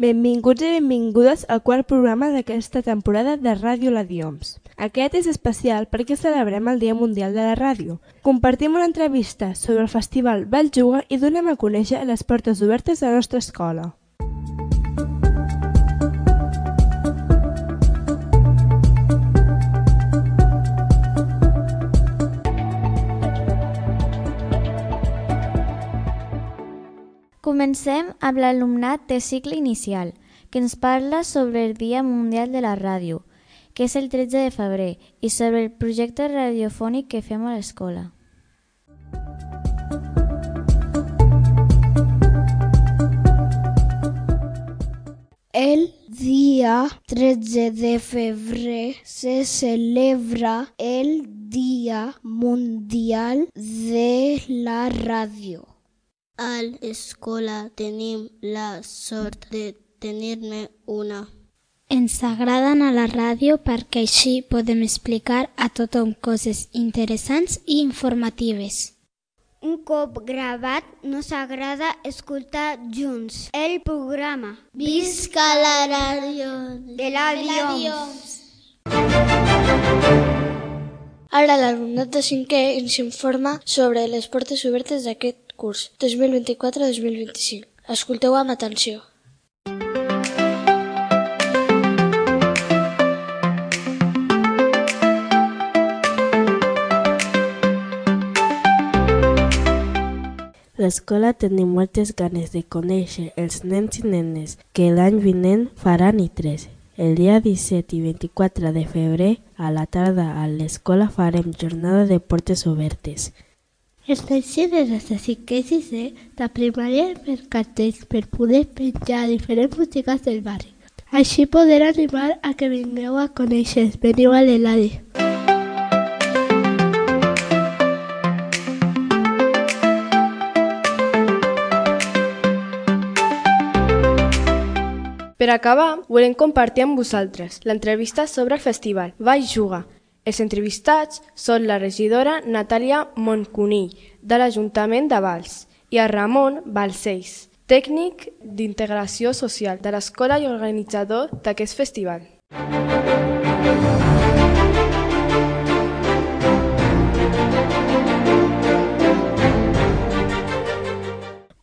Benvinguts i benvingudes al quart programa d'aquesta temporada de Ràdio La Dioms. Aquest és especial perquè celebrem el Dia Mundial de la Ràdio. Compartim una entrevista sobre el Festival Valjuga i donem a conèixer les portes obertes de la nostra escola. Comencem amb l'alumnat de cicle inicial, que ens parla sobre el Dia Mundial de la Ràdio, que és el 13 de febrer, i sobre el projecte radiofònic que fem a l'escola. El dia 13 de febrer se celebra el Dia Mundial de la Ràdio. A l'escola tenim la sort de tenir-ne una. Ens agrada anar a la ràdio perquè així podem explicar a tothom coses interessants i informatives. Un cop gravat, nos agrada escoltar junts el programa. Visca la ràdio de la Dioms! Ara l'alumnat de 5è ens informa sobre les portes obertes d'aquest curs 2024-2025. Escolteu amb atenció. L'escola tenim moltes ganes de conèixer els nens i nenes que l'any vinent faran I3. El dia 17 i 24 de febrer, a la tarda a l'escola farem jornada de portes obertes. Els nens i nenes de 5è i 6è de primària per cartells per poder penjar diferents botigues del barri. Així poder animar a que vingueu a conèixer. Veniu a l'Eladi. Per acabar, volem compartir amb vosaltres l'entrevista sobre el festival Valjuga. Els entrevistats són la regidora Natàlia Moncunill, de l'Ajuntament de Valls, i el Ramon Balcells, tècnic d'integració social de l'escola i organitzador d'aquest festival.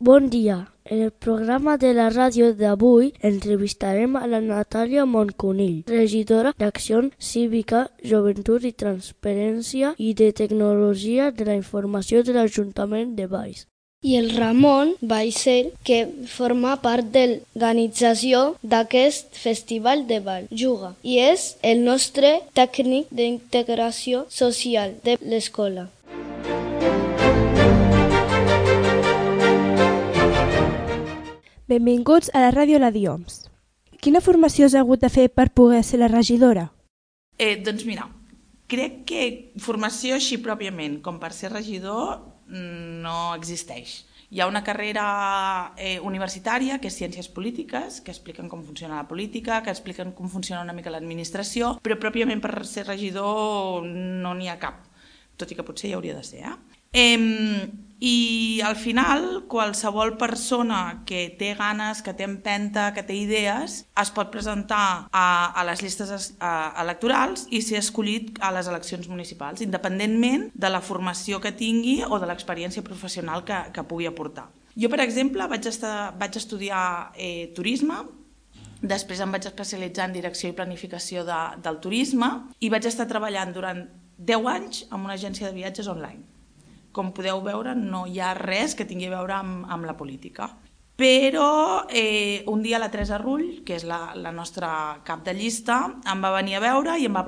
Bon dia. En el programa de la ràdio d'avui entrevistarem a la Natàlia Moncunill, regidora d'Acció Cívica, Joventut i Transparència i de Tecnologia de la Informació de l'Ajuntament de Valls. I el Ramon Balcells, que forma part de l'organització d'aquest festival de Valjuga i és el nostre tècnic d'integració social de l'escola. Benvinguts a la Ràdio La Dioms. Quina formació has hagut de fer per poder ser la regidora? Doncs mira, crec que formació així pròpiament, com per ser regidor, no existeix. Hi ha una carrera universitària, que és Ciències Polítiques, que expliquen com funciona la política, que expliquen com funciona una mica l'administració, però pròpiament per ser regidor no n'hi ha cap, tot i que potser hi hauria de ser. I al final qualsevol persona que té ganes, que té empenta, que té idees, es pot presentar a les llistes electorals i ser escollit a les eleccions municipals, independentment de la formació que tingui o de l'experiència professional que pugui aportar. Jo, per exemple, vaig estudiar turisme, després em vaig especialitzar en direcció i planificació del turisme i vaig estar treballant durant 10 anys en una agència de viatges online. Com podeu veure, no hi ha res que tingui a veure amb la política. Però un dia la Teresa Rull, que és la nostra cap de llista, em va venir a veure i em va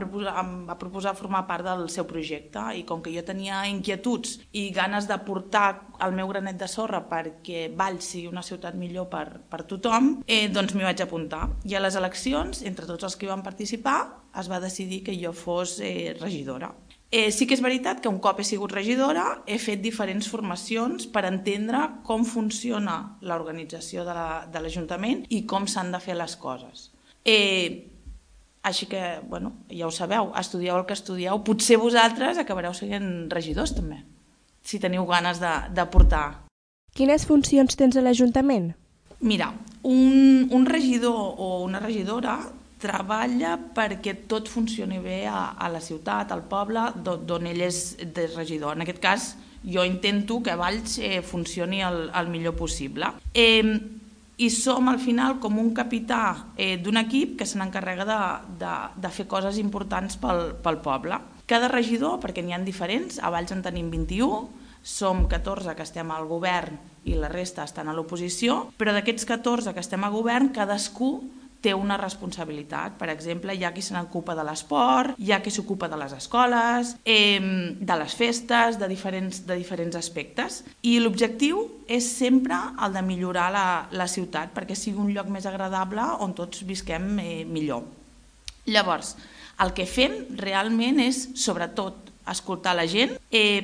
proposar formar part del seu projecte. I com que jo tenia inquietuds i ganes d'aportar el meu granet de sorra perquè Valls sigui una ciutat millor per tothom, doncs m'hi vaig apuntar. I a les eleccions, entre tots els que hi van participar, es va decidir que jo fos regidora. Sí que és veritat que un cop he sigut regidora he fet diferents formacions per entendre com funciona l'organització de l'Ajuntament i com s'han de fer les coses. Així que, ja ho sabeu, estudieu el que estudieu, potser vosaltres acabareu sent regidors també, si teniu ganes d'aportar. Quines funcions tens a l'Ajuntament? Mira, un regidor o una regidora treballa perquè tot funcioni bé a la ciutat, al poble, d'on ell és regidor. En aquest cas, jo intento que Valls funcioni el millor possible. I som al final com un capità d'un equip que se n'encarrega de fer coses importants pel poble. Cada regidor, perquè n'hi ha diferents, a Valls en tenim 21, som 14 que estem al govern i la resta estan a l'oposició, però d'aquests 14 que estem a govern, cadascú té una responsabilitat. Per exemple, hi ha qui se n'ocupa de l'esport, hi ha qui s'ocupa de les escoles, de les festes, de diferents aspectes. I l'objectiu és sempre el de millorar la ciutat perquè sigui un lloc més agradable on tots visquem millor. Llavors, el que fem realment és, sobretot, escoltar la gent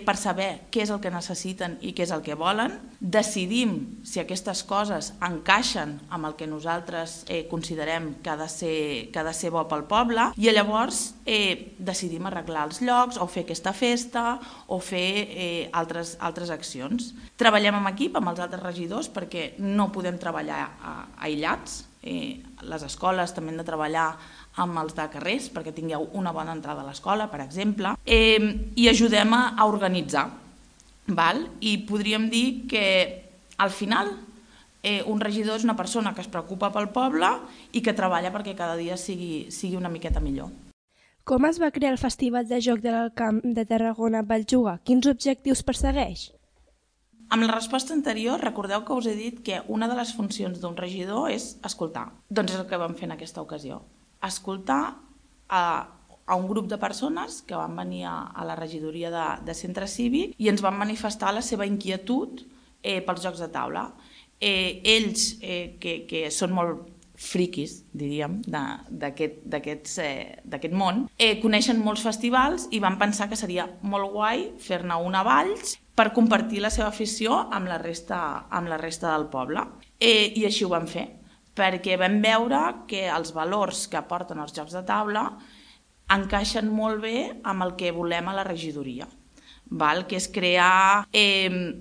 per saber què és el que necessiten i què és el que volen. Decidim si aquestes coses encaixen amb el que nosaltres considerem que ha de ser bo pel poble i llavors decidim arreglar els llocs o fer aquesta festa o fer altres accions. Treballem en equip amb els altres regidors perquè no podem treballar aïllats. Les escoles també han de treballar amb els de carrers perquè tingueu una bona entrada a l'escola, per exemple, i ajudem a organitzar. I podríem dir que al final un regidor és una persona que es preocupa pel poble i que treballa perquè cada dia sigui una miqueta millor. Com es va crear el Festival de Joc del Camp de Tarragona Valls-Juga? Quins objectius persegueix? Amb la resposta anterior, recordeu que us he dit que una de les funcions d'un regidor és escoltar. Doncs és el que vam fer en aquesta ocasió. Escoltar a un grup de persones que van venir a la regidoria de centre cívic i ens van manifestar la seva inquietud pels jocs de taula. Ells, que són molt friquis, diríem, d'aquest món, coneixen molts festivals i van pensar que seria molt guai fer-ne un a Valls per compartir la seva afició amb la resta del poble. I així ho vam fer, perquè vam veure que els valors que aporten els jocs de taula encaixen molt bé amb el que volem a la regidoria, que és crear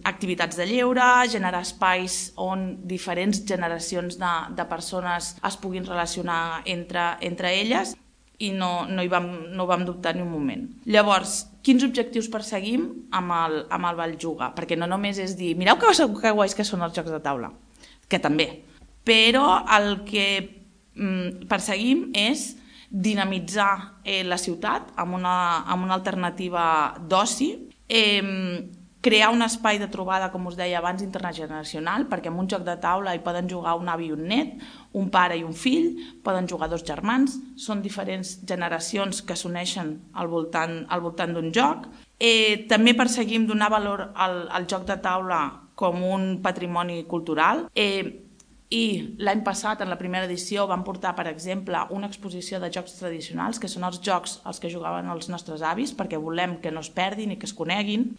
activitats de lleure, generar espais on diferents generacions de persones es puguin relacionar entre elles i no vam dubtar ni un moment. Llavors, quins objectius perseguim amb el Valls-Juga? Perquè no només és dir, mireu que guais que són els jocs de taula, que també, però el que perseguim és dinamitzar la ciutat amb una alternativa d'oci, crear un espai de trobada, com us deia abans, intergeneracional, perquè en un joc de taula hi poden jugar un avi i un net, un pare i un fill, poden jugar dos germans, són diferents generacions que s'uneixen al voltant d'un joc. També perseguim donar valor al joc de taula com un patrimoni cultural. I l'any passat, en la primera edició, vam portar, per exemple, una exposició de jocs tradicionals, que són els jocs als que jugaven els nostres avis, perquè volem que no es perdin i que es coneguin.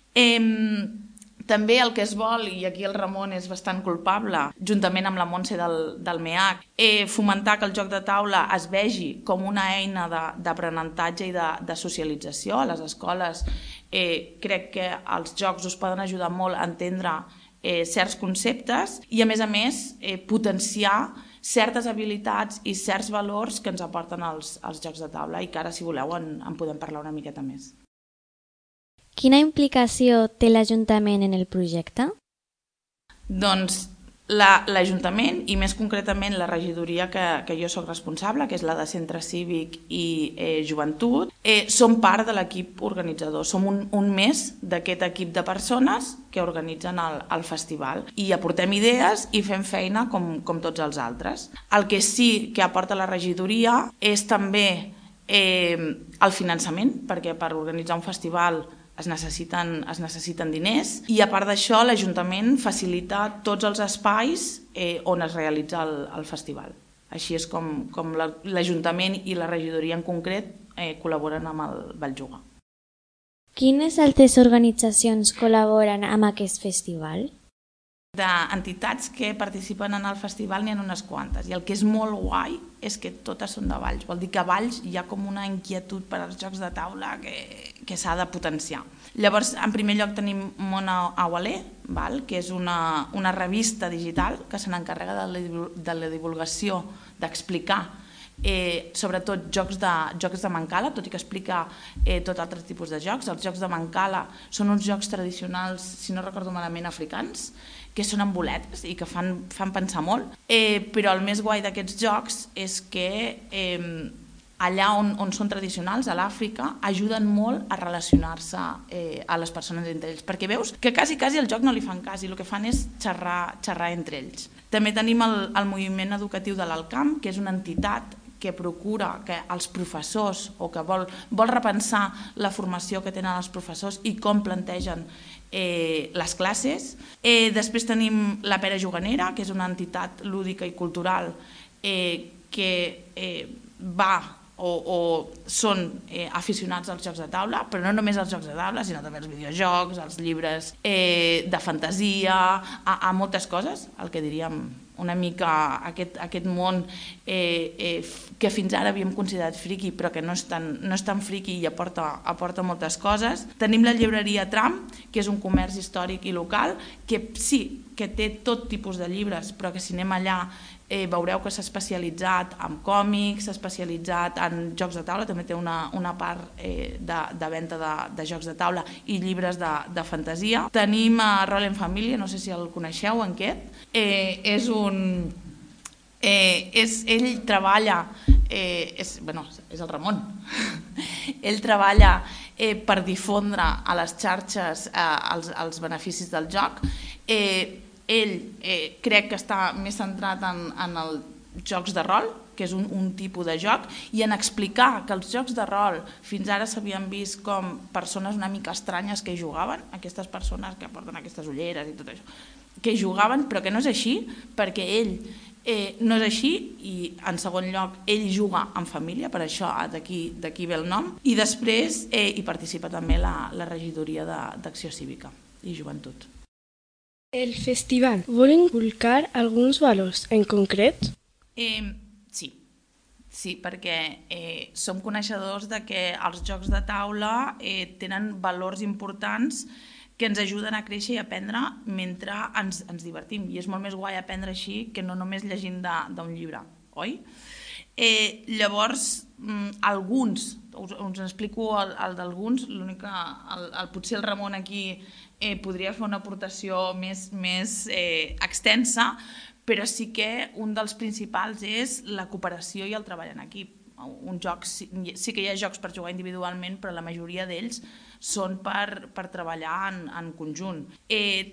També el que es vol, i aquí el Ramon és bastant culpable, juntament amb la Montse del MEAC, fomentar que el joc de taula es vegi com una eina d'aprenentatge i de socialització. A les escoles crec que els jocs us poden ajudar molt a entendre certs conceptes i, a més, potenciar certes habilitats i certs valors que ens aporten els jocs de taula i que ara, si voleu, en podem parlar una miqueta més. Quina implicació té l'Ajuntament en el projecte? Doncs l'Ajuntament, i més concretament la regidoria que jo soc responsable, que és la de Centre Cívic i Joventut, som part de l'equip organitzador. Som un més d'aquest equip de persones que organitzen el festival i aportem idees i fem feina com tots els altres. El que sí que aporta la regidoria és també el finançament, perquè per organitzar un festival es necessiten diners i, a part d'això, l'Ajuntament facilita tots els espais on es realitza el festival. Així és com l'Ajuntament i la regidoria en concret col·laboren amb el Valls-Juga. Quines altres organitzacions col·laboren amb aquest festival? D'entitats que participen en el festival n'hi ha unes quantes i el que és molt guai és que totes són de Valls. Vol dir que a Valls hi ha com una inquietud per als jocs de taula que que s'ha de potenciar. Llavors, en primer lloc tenim Món Awalé, que és una revista digital que se n'encarrega de la divulgació, d'explicar sobretot jocs de Mancala, tot i que explica tot altres tipus de jocs. Els jocs de Mancala són uns jocs tradicionals, si no recordo malament, africans, que són amb boletes i que fan pensar molt, però el més guai d'aquests jocs és que allà on són tradicionals, a l'Àfrica, ajuden molt a relacionar-se a les persones entre ells, perquè veus que quasi el joc no li fan cas i el que fan és xerrar entre ells. També tenim el moviment educatiu de l'Alcamp, que és una entitat que procura que els professors o que vol repensar la formació que tenen els professors i com plantegen les classes. Després tenim la Pera Juganera, que és una entitat lúdica i cultural que va o són aficionats als jocs de taula, però no només als jocs de taula, sinó també als videojocs, als llibres de fantasia, a moltes coses, el que diríem una mica aquest món que fins ara havíem considerat friqui, però que no és tan friqui i aporta moltes coses. Tenim la llibreria Tram, que és un comerç històric i local, que sí, que té tot tipus de llibres, però que si anem allà veureu que s'ha especialitzat en còmics, s'ha especialitzat en jocs de taula, també té una part de venda de jocs de taula i llibres de fantasia. Tenim Rol en Família, no sé si el coneixeu, en Quet. Ell treballa, és el Ramon, ell treballa per difondre a les xarxes els beneficis del joc. Ell crec que està més centrat en els jocs de rol, que és un tipus de joc, i en explicar que els jocs de rol fins ara s'havien vist com persones una mica estranyes que hi jugaven, aquestes persones que porten aquestes ulleres i tot això, que hi jugaven, però que no és així, perquè ell no és així, i en segon lloc ell juga en família, per això d'aquí ve el nom, i després hi participa també la regidoria d'Acció Cívica i Joventut. El festival vol inculcar alguns valors en concret? Sí, perquè som coneixedors de que els jocs de taula tenen valors importants que ens ajuden a créixer i aprendre mentre ens divertim. I és molt més guai aprendre així que no només llegint d'un llibre, oi? Llavors, alguns, us explico el d'alguns, l'únic que potser el Ramon aquí podria fer una aportació més extensa, però sí que un dels principals és la cooperació i el treball en equip. Un joc, sí que hi ha jocs per jugar individualment, però la majoria d'ells són per treballar en conjunt.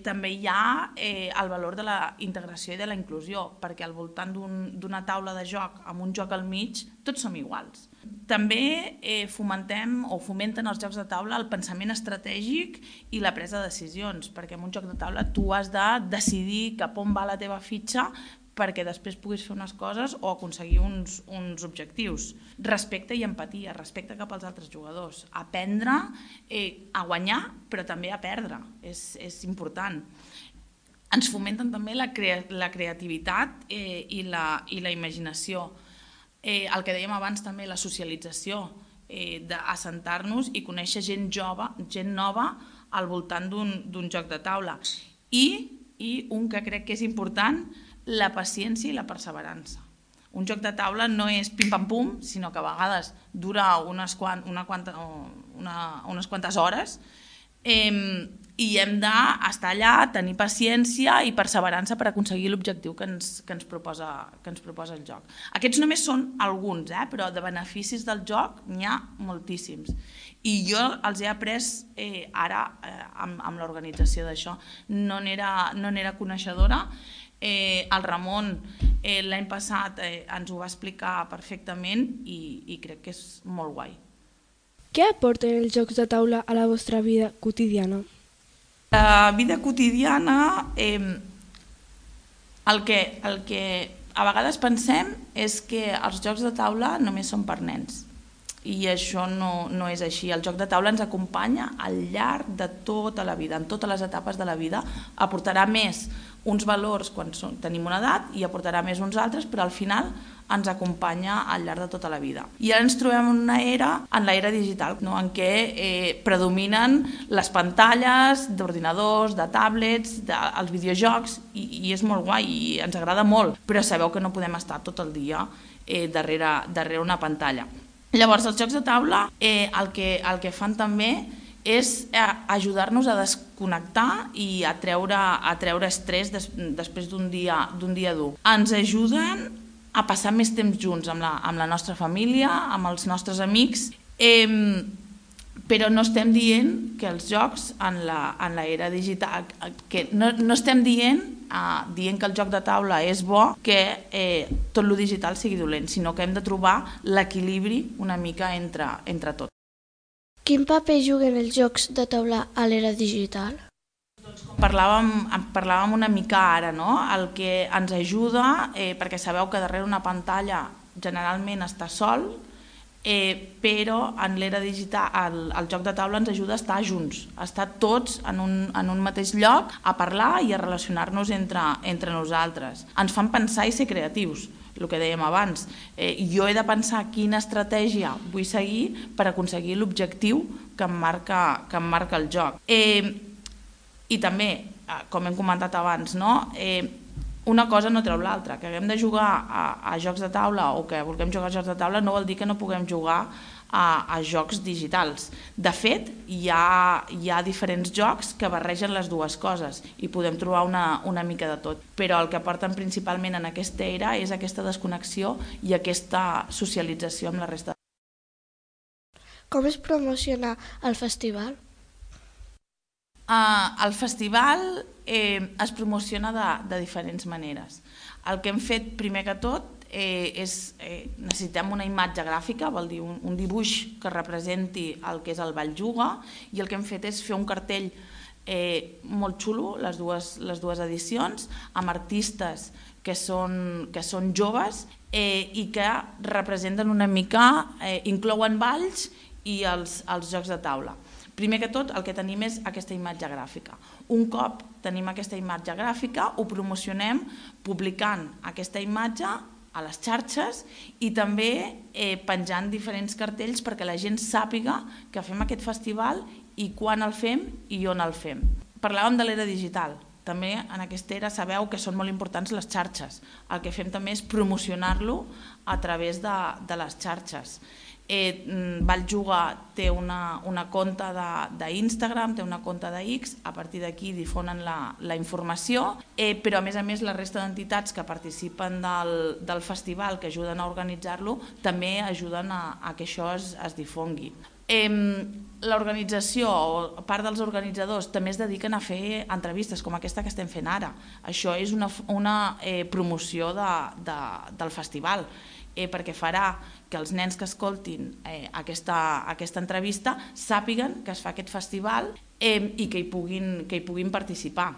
També hi ha el valor de la integració i de la inclusió, perquè al voltant d'una taula de joc amb un joc al mig tots som iguals. També fomenten els jocs de taula el pensament estratègic i la presa de decisions, perquè en un joc de taula tu has de decidir cap on va la teva fitxa perquè després puguis fer unes coses o aconseguir uns objectius. Respecte i empatia, respecte cap als altres jugadors. Aprendre a guanyar, però també a perdre, és important. Ens fomenten també la creativitat i la imaginació. El que dèiem abans també, la socialització, d'assentar-nos i conèixer gent nova al voltant d'un joc de taula. I un que crec que és important, la paciència i la perseverança. Un joc de taula no és pim-pam-pum, sinó que a vegades dura unes quantes hores i hem d'estar allà, tenir paciència i perseverança per aconseguir l'objectiu que ens proposa el joc. Aquests només són alguns, però de beneficis del joc n'hi ha moltíssims. I jo els he après ara amb l'organització d'això. No n'era coneixedora. El Ramon l'any passat ens ho va explicar perfectament i crec que és molt guai. Què aporten els jocs de taula a la vostra vida quotidiana? La vida quotidiana, el que a vegades pensem és que els jocs de taula només són per nens. I això no és així. El joc de taula ens acompanya al llarg de tota la vida, en totes les etapes de la vida. Aportarà més uns valors quan tenim una edat i aportarà més uns altres, però al final ens acompanya al llarg de tota la vida. I ara ens trobem en l'era digital, no? En què predominen les pantalles d'ordinadors, de tablets, els videojocs, i és molt guai i ens agrada molt, però sabeu que no podem estar tot el dia darrere una pantalla. Llavors, els jocs de taula el que fan també és ajudar-nos a desconnectar i a treure estrès després d'un dia dur. Ens ajuden a passar més temps junts amb la nostra família, amb els nostres amics, però no estem dient que els jocs en l'era digital, que no estem dient que el joc de taula és bo, que tot lo digital sigui dolent, sinó que hem de trobar l'equilibri una mica entre tot. Quin paper juguen els jocs de taula a l'era digital? Parlàvem una mica ara, no? El que ens ajuda, perquè sabeu que darrere una pantalla generalment està sol, però en l'era digital el joc de taula ens ajuda a estar junts, a estar tots en un mateix lloc, a parlar i a relacionar-nos entre nosaltres. Ens fan pensar i ser creatius, el que dèiem abans. Jo he de pensar quina estratègia vull seguir per aconseguir l'objectiu que em marca el joc. I també, com hem comentat abans, no? Una cosa no treu l'altra. Que haguem de jugar a jocs de taula o que vulguem jugar a jocs de taula no vol dir que no puguem jugar a jocs digitals. De fet, hi ha diferents jocs que barregen les dues coses i podem trobar una mica de tot. Però el que aporten principalment en aquesta era és aquesta desconnexió i aquesta socialització amb la resta. Com es promociona el festival? El festival es promociona de diferents maneres. El que hem fet primer que tot necessitem una imatge gràfica, vol dir un dibuix que representi el que és el Ball Juga, i el que hem fet és fer un cartell molt xulo, les dues edicions, amb artistes que són joves i que representen una mica, inclouen balls i els jocs de taula. Primer que tot, el que tenim és aquesta imatge gràfica. Un cop tenim aquesta imatge gràfica, ho promocionem publicant aquesta imatge a les xarxes i també penjant diferents cartells perquè la gent sàpiga que fem aquest festival i quan el fem i on el fem. Parlàvem de l'era digital. També en aquesta era sabeu que són molt importants les xarxes. El que fem també és promocionar-lo a través de les xarxes. Ball Juga té una compte d'Instagram, té una compte d'X, a partir d'aquí difonen la informació, però a més la resta d'entitats que participen del festival, que ajuden a organitzar-lo, també ajuden a que això es difongui. L'organització, o part dels organitzadors, també es dediquen a fer entrevistes com aquesta que estem fent ara. Això és una promoció del festival, perquè farà que els nens que escoltin aquesta entrevista sàpiguen que es fa aquest festival i que hi puguin participar.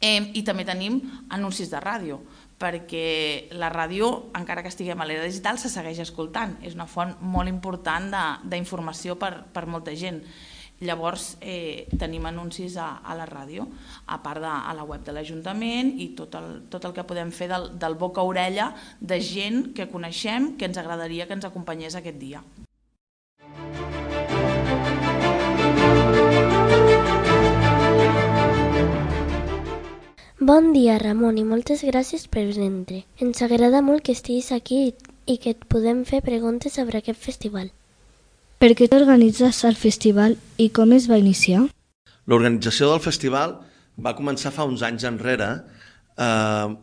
I també tenim anuncis de ràdio, perquè la ràdio, encara que estiguem a l'era digital, se segueix escoltant. És una font molt important d'informació per molta gent. Llavors tenim anuncis a la ràdio, a part a la web de l'Ajuntament i tot el que podem fer del boca a orella de gent que coneixem, que ens agradaria que ens acompanyés aquest dia. Bon dia, Ramon, i moltes gràcies per vindre. Ens agrada molt que estiguis aquí i que et podem fer preguntes sobre aquest festival. Per què t'organitzes el festival i com es va iniciar? L'organització del festival va començar fa uns anys enrere,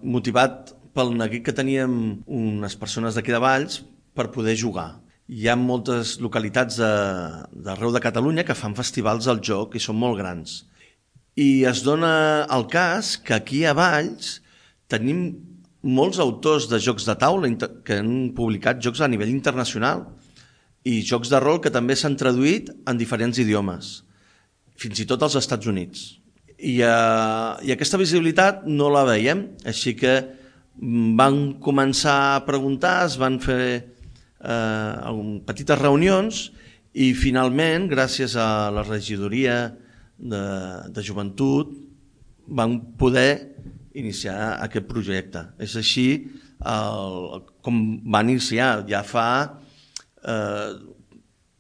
motivat pel neguit que teníem unes persones d'aquí de Valls per poder jugar. Hi ha moltes localitats d'arreu de Catalunya que fan festivals al joc i són molt grans. I es dona el cas que aquí a Valls tenim molts autors de jocs de taula que han publicat jocs a nivell internacional i jocs de rol que també s'han traduït en diferents idiomes, fins i tot als Estats Units. I aquesta visibilitat no la veiem, així que van començar a preguntar, es van fer petites reunions i finalment, gràcies a la regidoria de joventut, van poder iniciar aquest projecte. És així com va iniciar. Ja fa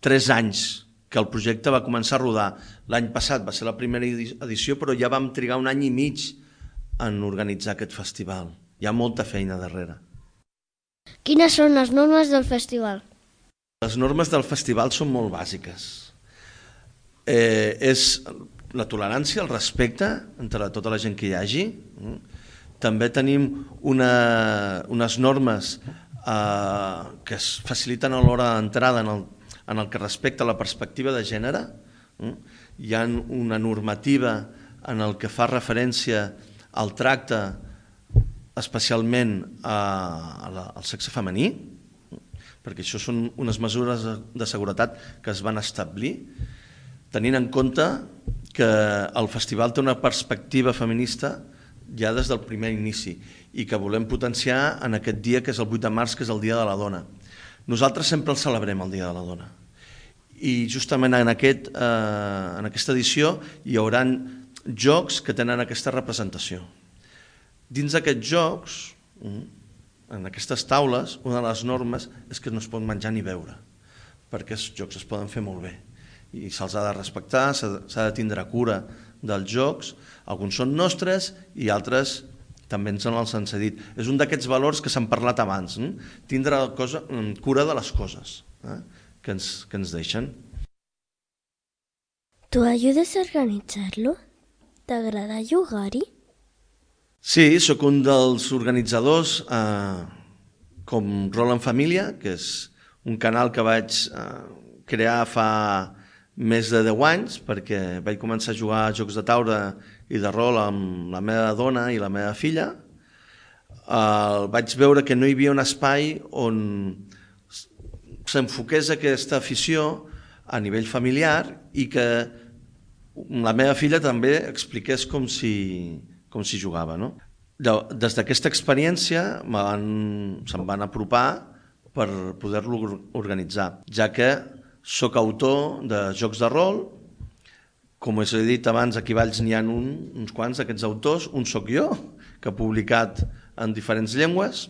3 anys que el projecte va començar a rodar. L'any passat va ser la primera edició, però ja vam trigar 1 any i mig en organitzar aquest festival. Hi ha molta feina darrere. Quines són les normes del festival? Les normes del festival són molt bàsiques. És la tolerància, el respecte entre tota la gent que hi hagi. També tenim unes normes que es faciliten a l'hora d'entrada en el que respecta la perspectiva de gènere. Hi ha una normativa en el que fa referència al tracte especialment al sexe femení, perquè això són unes mesures de seguretat que es van establir, tenint en compte que el festival té una perspectiva feminista ja des del primer inici i que volem potenciar en aquest dia que és el 8 de març, que és el Dia de la Dona. Nosaltres sempre el celebrem, el Dia de la Dona. I justament en aquesta edició hi haurà jocs que tenen aquesta representació. Dins d'aquests jocs, en aquestes taules, una de les normes és que no es pot menjar ni beure, perquè els jocs es poden fer molt bé i se'ls ha de respectar, s'ha de tindre cura dels jocs. Alguns són nostres i altres també ens els han cedit. És un d'aquests valors que s'han parlat abans, tindre cura de les coses que ens deixen. ¿Tú ayudes a organitzar-lo? T'agrada jugar-hi? Sí, sóc un dels organitzadors com Rol en Família, que és un canal que vaig crear fa més de 10 anys, perquè vaig començar a jugar a jocs de taula i de rol amb la meva dona i la meva filla. Vaig veure que no hi havia un espai on s'enfoqués aquesta afició a nivell familiar i que la meva filla també expliqués com si jugava. Des d'aquesta experiència se'm van apropar per poder-lo organitzar, ja que sóc autor de jocs de rol. Com us he dit abans, aquí a Valls n'hi ha uns quants d'aquests autors. Un sóc jo, que he publicat en diferents llengües,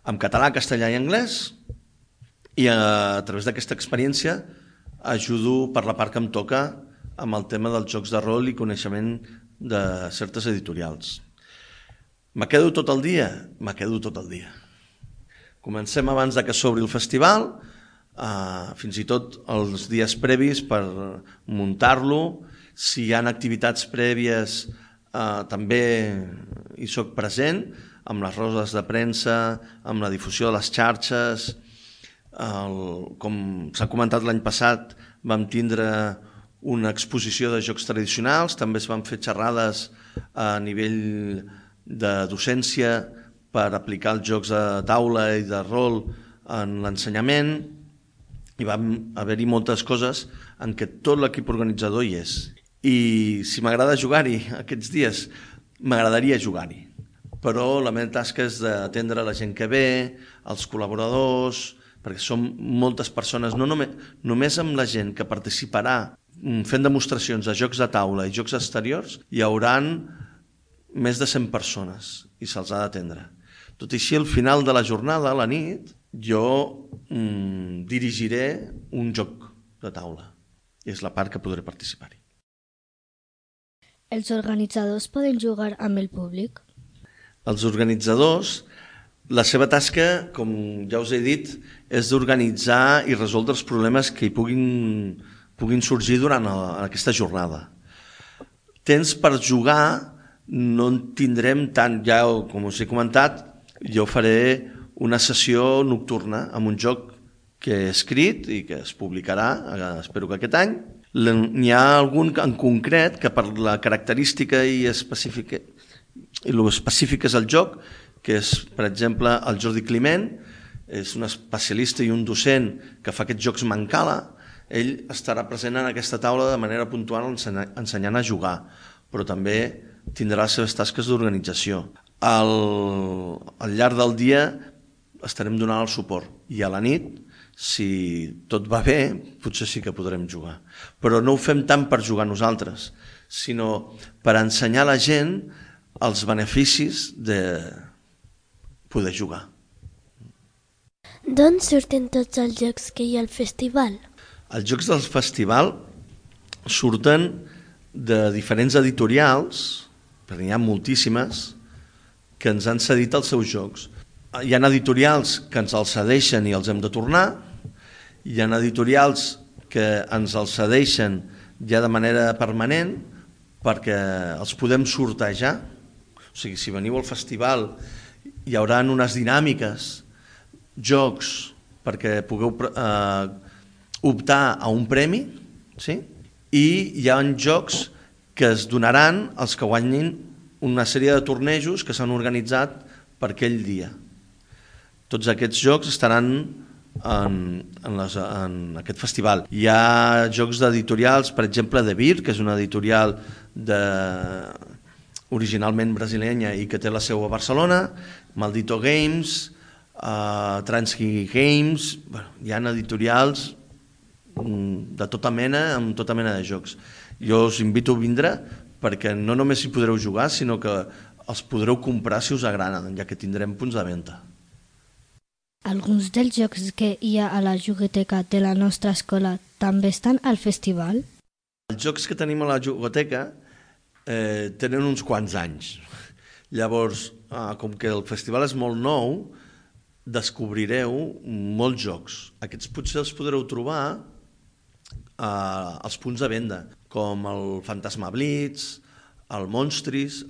en català, castellà i anglès, i a través d'aquesta experiència ajudo per la part que em toca amb el tema dels jocs de rol i coneixement de certes editorials. Me quedo tot el dia? Me quedo tot el dia. Comencem abans que s'obri el festival, fins i tot els dies previs per muntar-lo. Si hi ha activitats prèvies també hi soc present, amb les rodes de premsa, amb la difusió de les xarxes. Com s'ha comentat l'any passat, vam tindre una exposició de jocs tradicionals, també es van fer xerrades a nivell de docència per aplicar els jocs de taula i de rol en l'ensenyament, i van haver-hi moltes coses en què tot l'equip organitzador hi és. I si m'agrada jugar-hi aquests dies, m'agradaria jugar-hi, però la meva tasca és d'atendre la gent que ve, els col·laboradors, perquè som moltes persones, no només amb la gent que participarà fent demostracions de jocs de taula i jocs exteriors, hi haurà més de 100 persones i se'ls ha d'atendre. Tot i així, al final de la jornada, a la nit, jo dirigiré un joc de taula. I és la part que podré participar-hi. Els organitzadors poden jugar amb el públic? Els organitzadors, la seva tasca, com ja us he dit, és d'organitzar i resoldre els problemes que hi puguin sorgir durant aquesta jornada. Temps per jugar no en tindrem tant, ja com us he comentat, jo faré una sessió nocturna amb un joc que he escrit i que es publicarà, espero que aquest any. N'hi ha algun en concret que per la característica i específica és el joc, que és, per exemple, el Jordi Climent, és un especialista i un docent que fa aquests jocs Mancala. Ell estarà present en aquesta taula de manera puntual ensenyant a jugar, però també tindrà les seves tasques d'organització. Al llarg del dia estarem donant el suport i a la nit, si tot va bé, potser sí que podrem jugar. Però no ho fem tant per jugar nosaltres, sinó per ensenyar a la gent els beneficis poder jugar. D'on surten tots els jocs que hi ha al festival? Els jocs del festival surten de diferents editorials, perquè n'hi ha moltíssimes, que ens han cedit els seus jocs. Hi ha editorials que ens els cedeixen i els hem de tornar, hi ha editorials que ens els cedeixen ja de manera permanent perquè els podem sortejar. O sigui, si veniu al festival hi haurà unes dinàmiques, jocs, perquè pugueu optar a un premi, sí? I hi ha jocs que es donaran als que guanyin una sèrie de tornejos que s'han organitzat per aquell dia. Tots aquests jocs estaran en aquest festival. Hi ha jocs d'editorials, per exemple, de Vir, que és una editorial originalment brasilenya i que té la seu a Barcelona, Maldito Games, Transky Games, hi ha editorials de tota mena, amb tota mena de jocs. Jo us invito a vindre perquè no només hi podreu jugar, sinó que els podreu comprar si us agraden, ja que tindrem punts de venda. Alguns dels jocs que hi ha a la jugoteca de la nostra escola també estan al festival? Els jocs que tenim a la jugoteca tenen uns quants anys. Llavors, com que el festival és molt nou, descobrireu molts jocs. Aquests potser els podreu trobar als punts de venda, com el Fantasma Blitz, el Monstris.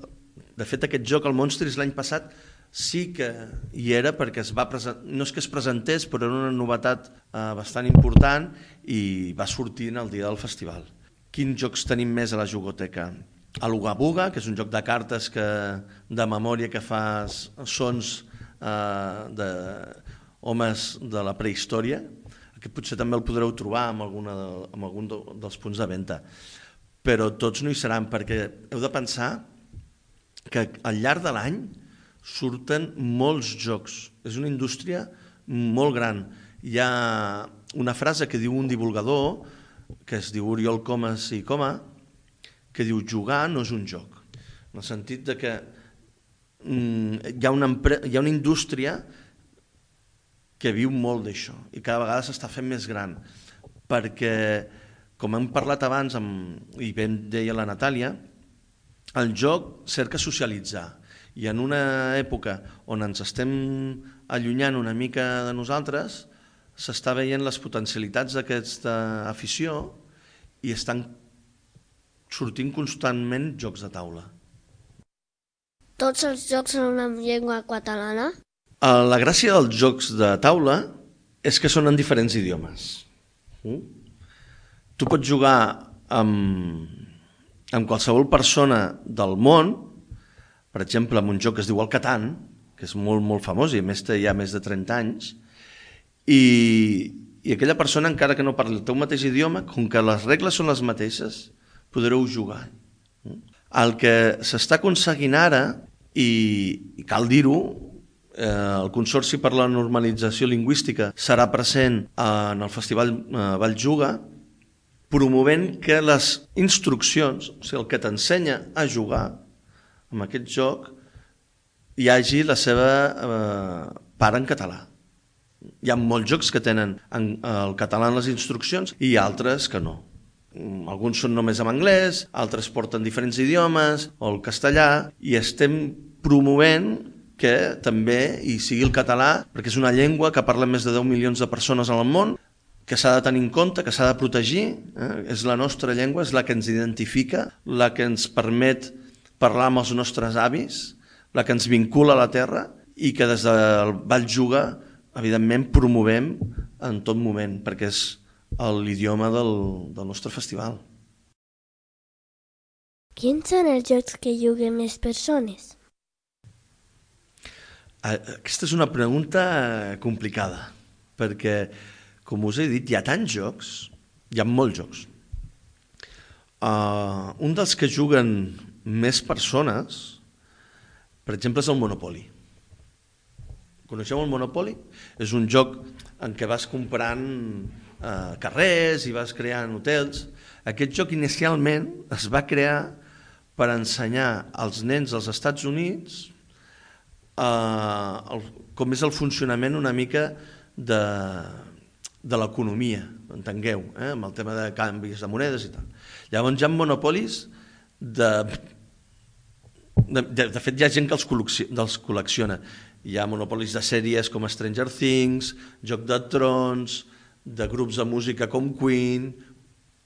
De fet, aquest joc, el Monstris, l'any passat sí que hi era perquè no és que es presentés, però era una novetat bastant important i va sortir en el dia del festival. Quins jocs tenim més a la jugoteca? L'Uga Buga, que és un joc de cartes de memòria que fa sons d'homes de la prehistòria. Aquest potser també el podreu trobar en algun dels punts de venda. Però tots no hi seran, perquè heu de pensar que al llarg de l'any surten molts jocs. És una indústria molt gran. Hi ha una frase que diu un divulgador, que es diu Oriol Comas i Coma, que diu: jugar no és un joc. En el sentit de que hi ha una indústria que viu molt d'això i cada vegada s'està fent més gran, perquè, com hem parlat abans i ben deia la Natàlia, el joc cerca socialitzar. I en una època on ens estem allunyant una mica de nosaltres, s'està veient les potencialitats d'aquesta afició i estan sortint constantment jocs de taula. Tots els jocs són en llengua catalana? La gràcia dels jocs de taula és que són en diferents idiomes. Tu pots jugar amb qualsevol persona del món, per exemple, amb un joc que es diu el Catan, que és molt, molt famós i a més té ja més de 30 anys, i aquella persona, encara que no parli el teu mateix idioma, com que les regles són les mateixes, podreu jugar. El que s'està aconseguint ara, i cal dir-ho, el Consorci per la Normalització Lingüística serà present en el Festival Valljuga, promovent que les instruccions, o sigui, el que t'ensenya a jugar amb aquest joc, hi hagi la seva part en català. Hi ha molts jocs que tenen el català en les instruccions i altres que no. Alguns són només en anglès, altres porten diferents idiomes, o el castellà, i estem promovent que també hi sigui el català, perquè és una llengua que parlen més de 10 milions de persones al món, que s'ha de tenir en compte, que s'ha de protegir. És la nostra llengua, és la que ens identifica, la que ens permet parlar amb els nostres avis, la que ens vincula a la terra i que des del Valljuga, evidentment, promovem en tot moment, perquè és l'idioma del nostre festival. Quins són els jocs que juguen més persones? Aquesta és una pregunta complicada, perquè, com us he dit, hi ha tants jocs, hi ha molts jocs. Un dels que juguen més persones, per exemple, és el Monopoly. Coneixeu el Monopoly? És un joc en què vas comprant carrers i vas creant hotels. Aquest joc inicialment es va crear per ensenyar als nens dels Estats Units com és el funcionament una mica de l'economia, entengueu, amb el tema de canvis de monedes i tal. Llavors hi ha monopolis de fet hi ha gent que els col·lecciona. Hi ha monopolis de sèries com Stranger Things, Joc de Trons, de grups de música com Queen,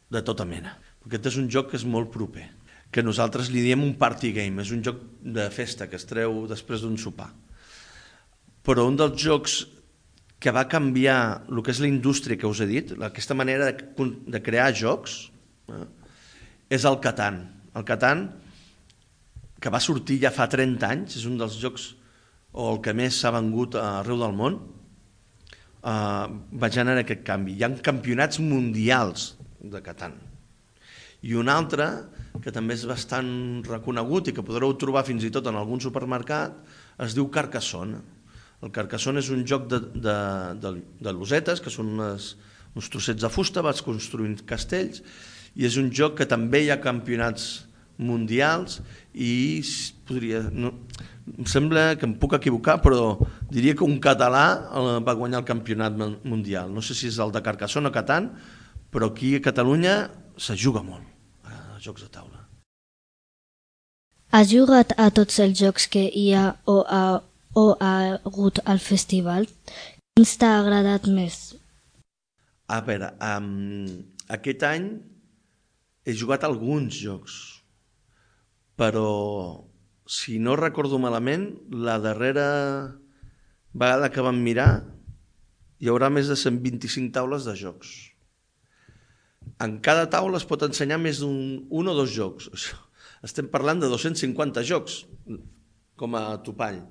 de tota mena. Aquest és un joc que és molt proper, que nosaltres li diem un party game, és un joc de festa que es treu després d'un sopar. Però un dels jocs que va canviar el que és la indústria que us he dit, aquesta manera de crear jocs, és el Catan. El Catan, que va sortir ja fa 30 anys, és un dels jocs o el que més s'ha vengut arreu del món, va generar aquest canvi. Hi ha campionats mundials de Catan. I un altre, que també és bastant reconegut i que podreu trobar fins i tot en algun supermercat, es diu Carcassonne. El Carcassonne és un joc de losetes, que són uns trossets de fusta, vas construint castells, i és un joc que també hi ha campionats mundials i em sembla que em puc equivocar, però diria que un català va guanyar el campionat mundial. No sé si és el de Carcassonne o Catan, però aquí a Catalunya se juga molt a jocs de taula. Has jugat a tots els jocs que hi ha o ha hagut al festival? Quins t'ha agradat més? A veure, aquest any he jugat a alguns jocs, però si no recordo malament, la darrera vegada que vam mirar hi haurà més de 125 taules de jocs. En cada taula es pot ensenyar més d'un o dos jocs. Estem parlant de 250 jocs com a topall.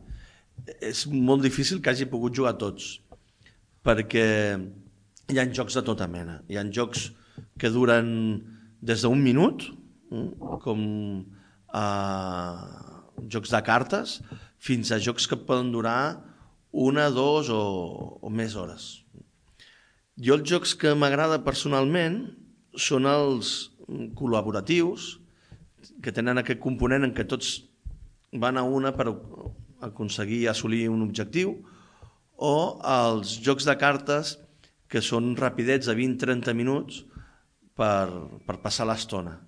És molt difícil que hagi pogut jugar tots, perquè hi ha jocs de tota mena. Hi ha jocs que duren des d'un minut, com jocs de cartes, fins a jocs que poden durar 1, 2 o més hores. Jo els jocs que m'agrada personalment són els col·laboratius, que tenen aquest component en què tots van a una per aconseguir assolir un objectiu, o els jocs de cartes que són rapidets de 20-30 minuts per passar l'estona.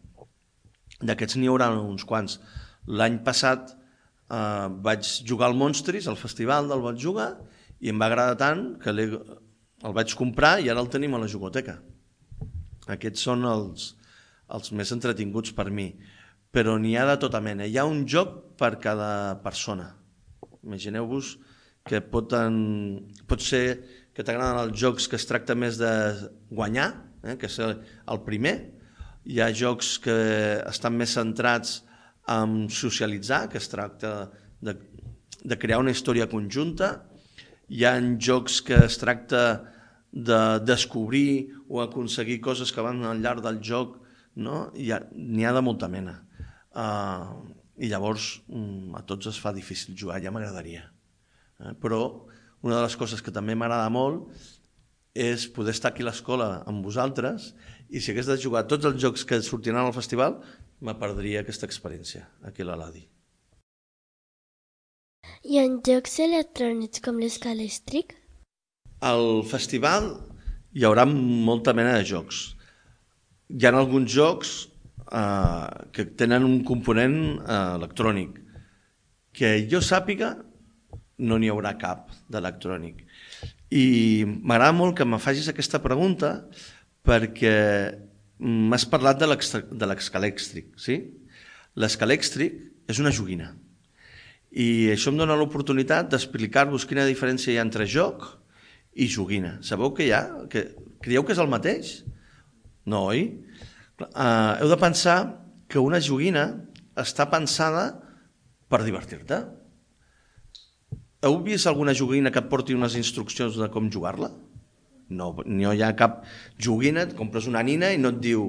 D'aquests n'hi haurà uns quants. L'any passat vaig jugar al Monstris, al festival del vaig jugar, i em va agradar tant que el vaig comprar i ara el tenim a la jugoteca. Aquests són els més entretinguts per mi, però n'hi ha de tota mena. Hi ha un joc per cada persona. Imagineu-vos que pot ser que t'agraden els jocs que es tracta més de guanyar, que és el primer. Hi ha jocs que estan més centrats en socialitzar, que es tracta de crear una història conjunta. Hi ha jocs que es tracta de descobrir o aconseguir coses que van al llarg del joc, no? N'hi ha de molta mena. I llavors a tots es fa difícil jugar, ja m'agradaria. Però una de les coses que també m'agrada molt és poder estar aquí a l'escola amb vosaltres, i si hagués de jugar tots els jocs que sortiran al festival, me perdria aquesta experiència aquí a l'Aladi. Hi ha jocs electrònics com l'Escalèstric? Al festival hi haurà molta mena de jocs. Hi ha alguns jocs que tenen un component electrònic. Que jo sàpiga, no n'hi haurà cap d'electrònic. I m'agrada molt que me facis aquesta pregunta perquè m'has parlat de l'Escalèstric, sí? L'Escalèstric és una joguina. I això em dona l'oportunitat d'explicar-vos quina diferència hi ha entre joc i joguina. Sabeu què hi ha? Creieu que és el mateix? No, oi? Heu de pensar que una joguina està pensada per divertir-te. Heu vist alguna joguina que et porti unes instruccions de com jugar-la? No hi ha cap joguina, et compres una nina i no et diu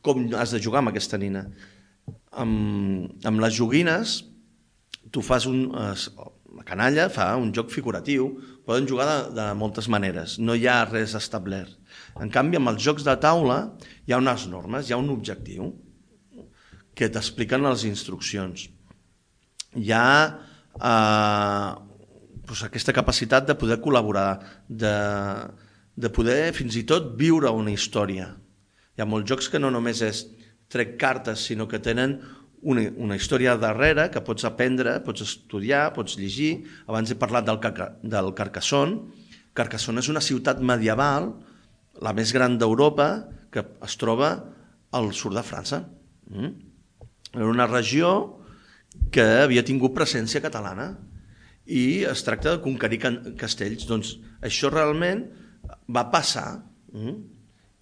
com has de jugar amb aquesta nina. Amb les joguines, tu fas la canalla fa un joc figuratiu, poden jugar de moltes maneres, no hi ha res establert. En canvi, amb els jocs de taula hi ha unes normes, hi ha un objectiu que t'expliquen les instruccions. Hi ha aquesta capacitat de poder col·laborar, de poder fins i tot viure una història. Hi ha molts jocs que no només és trec cartes, sinó que tenen una història darrere que pots aprendre, pots estudiar, pots llegir. Abans he parlat del Carcassonne. Carcassonne és una ciutat medieval, la més gran d'Europa, que es troba al sud de França. Era una regió que havia tingut presència catalana i es tracta de conquerir castells. Doncs això realment va passar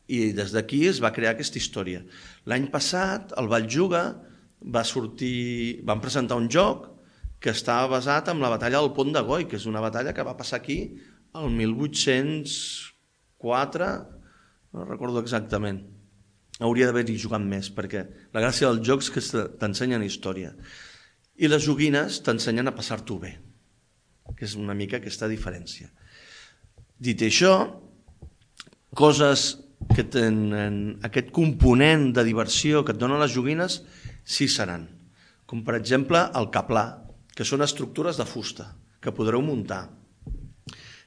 i des d'aquí es va crear aquesta història. L'any passat, el Valljuga van presentar un joc que estava basat en la batalla del Pont de Goi, que és una batalla que va passar aquí el 1804, no recordo exactament. Hauria d'haver-hi jugat més, perquè la gràcia dels jocs és que t'ensenyen història. I les joguines t'ensenyen a passar-t'ho bé, que és una mica aquesta diferència. Dit això, coses que tenen aquest component de diversió que et donen les joguines sí seran, com per exemple el caplà, que són estructures de fusta que podreu muntar.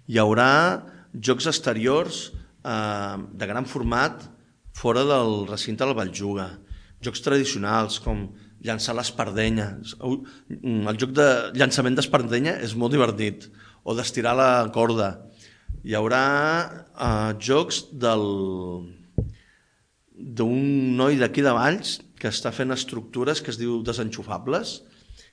Hi haurà jocs exteriors de gran format fora del recinte del Valljuga, jocs tradicionals com llançar l'espardenya. El joc de llançament d'espardenya és molt divertit, o d'estirar la corda. Hi haurà jocs d'un noi d'aquí de Valls que està fent estructures que es diu desenxufables,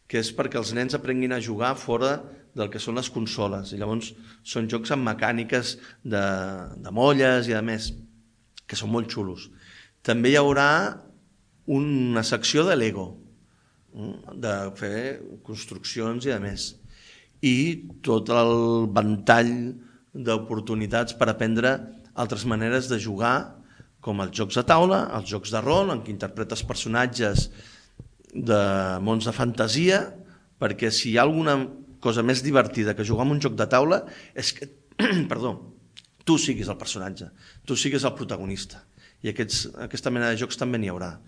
que és perquè els nens aprenguin a jugar fora del que són les consoles. I llavors són jocs amb mecàniques de molles i a més, que són molt xulos. També hi haurà una secció de Lego, de fer construccions i a més. I tot el ventall d'oportunitats per aprendre altres maneres de jugar, com els jocs de taula, els jocs de rol, en què interpretes personatges de mons de fantasia, perquè si hi ha alguna cosa més divertida que jugar amb un joc de taula és que tu siguis el personatge, tu siguis el protagonista. I aquesta mena de jocs també n'hi haurà.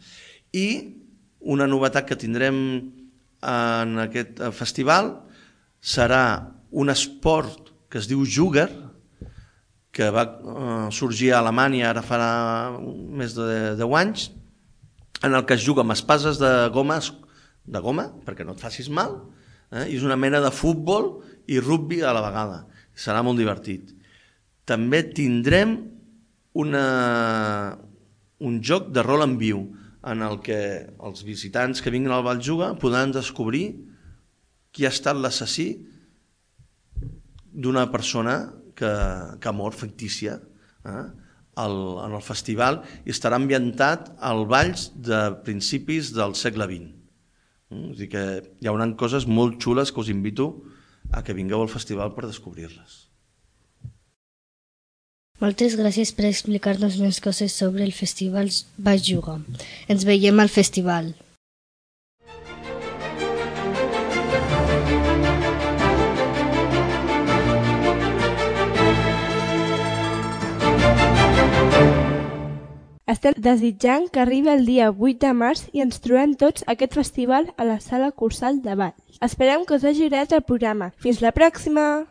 I una novetat que tindrem en aquest festival serà un esport que es diu Juger, que va sorgir a Alemanya ara farà més de 10 anys, en el que es juga amb espases de goma, perquè no et facis mal, i és una mena de futbol i rugbi a la vegada. Serà molt divertit. També tindrem un joc de rol en viu, en el que els visitants que vinguin al Valljuga podran descobrir qui ha estat l'assassí d'una persona que ha mort, fictícia, en el festival, i estarà ambientat al Valls de principis del segle XX. És a dir que hi haurà coses molt xules que us invito a que vingueu al festival per descobrir-les. Moltes gràcies per explicar-nos més coses sobre el Festival Valljuga. Ens veiem al festival. Estem desitjant que arribi el dia 8 de març i ens trobem tots a aquest festival a la Sala Cursal de Valls. Esperem que us hagi agradat el programa. Fins la pròxima!